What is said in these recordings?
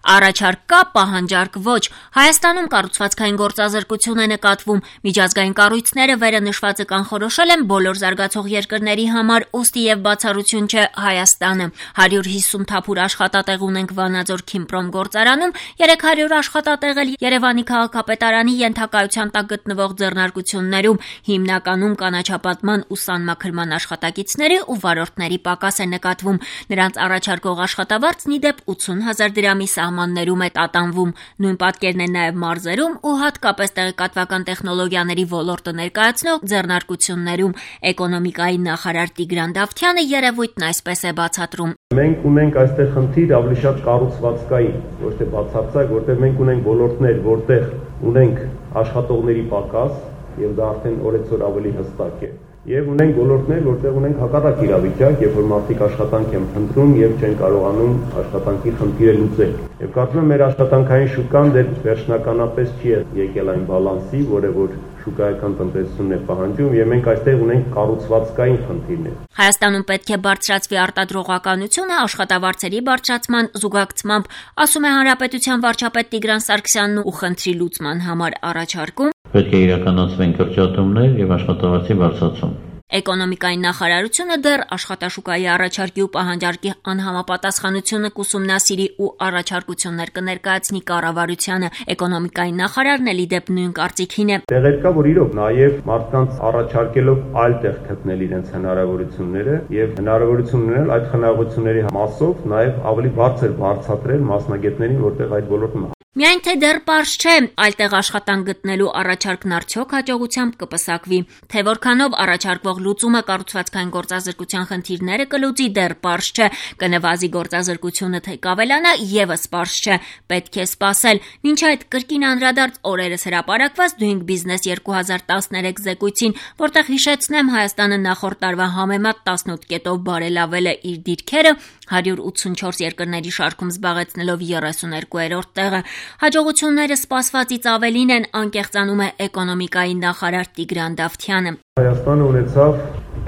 Առաջարկ կա, պահանջարկ ոչ։ Հայաստանում կառուցվածքային գործազրկություն է նկատվում։ Միջազգային կառույցները վերը նշվածը կանխորոշել են բոլոր զարգացող երկրների համար, ուստի եւ բացառություն չէ Հայաստանը։ 150 թափուր աշխատատեղ ունենք Վանաձոր Քիմպրոմ գործարանում, 300 աշխատատեղ էլ Երևանի քաղաքապետարանի ենթակայության տակ գտնվող ձեռնարկություններում, հիմնականում կանաչապատման ու սանմաքրման աշխատակիցների ու վարորդների պակաս է նկատվում։ Նրանց առաջարկող աշխատավարձն ի դեպ 80,000 դրամի սահմաններում է տատանվում։ Նույն պատկերն է նաև մարզերում ու հատկապես տեղեկատվական տեխնոլոգիաների ոլորտը ներկայացնող ձեռնարկություններում։ Էկոնոմիկայի նախարար Տիգրան Դավթյանը երևույթն այսպես է բացատրում։ Մենք ունենք այստեղ խնդիր ավելի շատ կառուցվածքային, ոչ թե բացարձակ, որտեղ մենք ունենք ոլորտներ, որտեղ ունենք աշխատողների պակաս, եւ դա արդեն օրեցօր ավելի հստակ է։ Եվ ունենք ոլորտներ, որտեղ ունենք հակառակ իրավիճակ, երբ որ մարդիկ աշխատանք են փնտրում եւ չեն կարողանում աշխատանքի խնդիրը լուծել։ Եվ կարծում եմ մեր աշխատանքային շուկան դեռ վերջնականապես չի եկել այն բալանսի, որը որ շուկայական տնտեսությունն է պահանջում, եւ մենք այստեղ ունենք կառուցվածքային խնդիրներ։ Հայաստանում պետք է բարձրացվի արտադրողականությունը աշխատավարձերի բարձրացման զուգակցմամբ, ասում է Հանրապետության վարչապետ Տիգրան Սարգսյանն ու խնդրի լուծման համար առաջարկում պետք է իրականացվեն կրճատումներ եւ աշխատավարձի բարձրացում։ Էկոնոմիկայի նախարարությունը դեռ աշխատաշուկայի առաջարկի ու պահանջարկի անհամապատասխանությունը կուսումնասիրի ու առաջարկություններ կներկայացնի կառավարությանը։ Էկոնոմիկայի նախարարն էլ ի դեպ նույն կարծիքին է։ Տեղեր կա, որ իրոք նաեւ մարդկանց առաջարկելով այլ տեղ գտնել իրենց հնարավորությունները եւ հնարավորություն ունել այդ հնարավորությունների մասով նաեւ ավելի բարձր բարձրացնել մասնագետներին, որտեղ այդ ոլորտում Միայն թե դեռ պարզ չէ, այլտեղ աշխատանք գտնելու առաջարկն արդյոք հաջողությամբ կպսակվի, թե որքանով առաջարկվող լուծումը կառուցվածքային գործազրկության խնդիրները կլուծի, դեռ պարզ չէ, կնվազի գործազրկությունը թե կավելանա, եւս պարզ չէ, պետք է սպասել։ Մինչ այդ կրկին անդրադարձ օրերս հրապարակված Doing Business 2013 զեկույցին, որտեղ հիշեցնեմ Հայաստանը նախորդ տարվա համեմատ 18 կետով բարելավել է իր դիրքերը, 184 երկրների շարքում զբաղեցնելով 32-րդ տեղը։ Հաջողությունները սպասվածից ավելին են, անկեղծանում է էկոնոմիկայի նախարար Տիգրան Դավթյանը։ Հայաստանը ունեցավ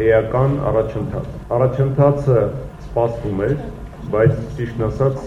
էական առաջընթաց։ Առաջընթացը սպասվում էր, բայց ճիշտն ասած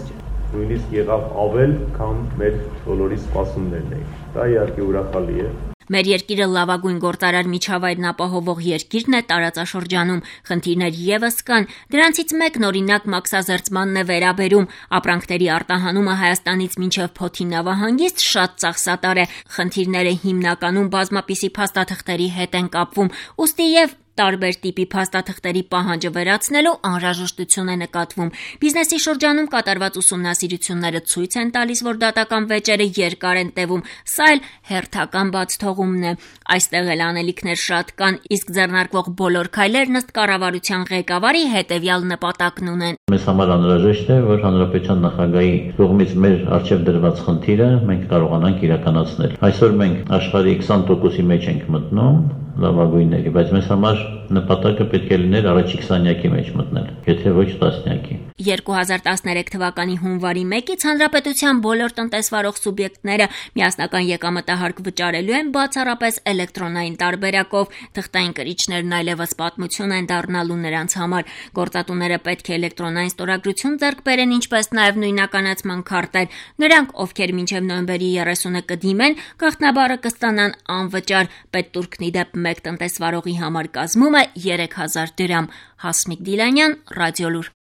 նույնիսկ եղավ ավել, քան մեր բոլորի սպասումներն էին։ Դա իհարկե ուրախալի է։ Մեր երկիրը լավագույն գործարար միջավայրն ապահովող երկիրն է տարածաշրջանում։ Խնդիրներ եւս կան։ Դրանցից մեկն օրինակ մաքսազերծմանն է վերաբերում։ Ապրանքների արտահանումը Հայաստանից մինչև Փոթի նավահանգիստ շատ ծախսատար է։ Խնդիրները հիմնականում բազմապիսի փաստաթղթերի հետ են կապվում։ Ուստի եւ տարբեր տիպի փաստաթղթերի պահանջը վերացնելու անհրաժեշտություն է նկատվում։ Բիզնեսի շրջանում կատարված ուսումնասիրությունները ցույց են տալիս, որ դատական վեճերը երկար են տևում, սա էլ հերթական բացթողումն է։ Այստեղ էլ անելիքներ շատ կան, իսկ ձեռնարկվող բոլոր քայլերն ըստ կառավարության ղեկավարի հետևյալ նպատակն ունեն։ Մեզ համար անհրաժեշտ է, որ հանրապետության նախագահի կողմից մեր առջև դրված խնդիրը մենք կարողանանք իրականացնել։ Այսօր մենք աշխարհի 20%-ի մեջ ենք մտնում լավագույնների, բայց մեզ համար նպատակը պետք է լիներ առաջի 20-յակի մեջ մտնել, եթե ոչ 10-յակի։ 2013 թվականի հունվարի 1-ից հանրապետության բոլոր տնտեսվարող սուբյեկտները միասնական եկամտահարկ վճարելու են բացառապես էլեկտրոնային տարբերակով։ Թղթային կրիչներն այլևս պատմություն են դառնալու նրանց համար։ Գործատուները պետք է էլեկտրոնային ստորագրություն ձեռք բերեն, ինչպես նաև նույնականացման քարտեր։ Նրանք, ովքեր մինչև նոյեմբերի 30-ը կդիմեն, գաղտնաբառը կստանան անվճար։ Պետտուրքն ի դեպ մեկ տնտեսվարողի համար կազմում է 3000 դրամ։ Հասմիկ Դիլանյան, Ռադիոլուր։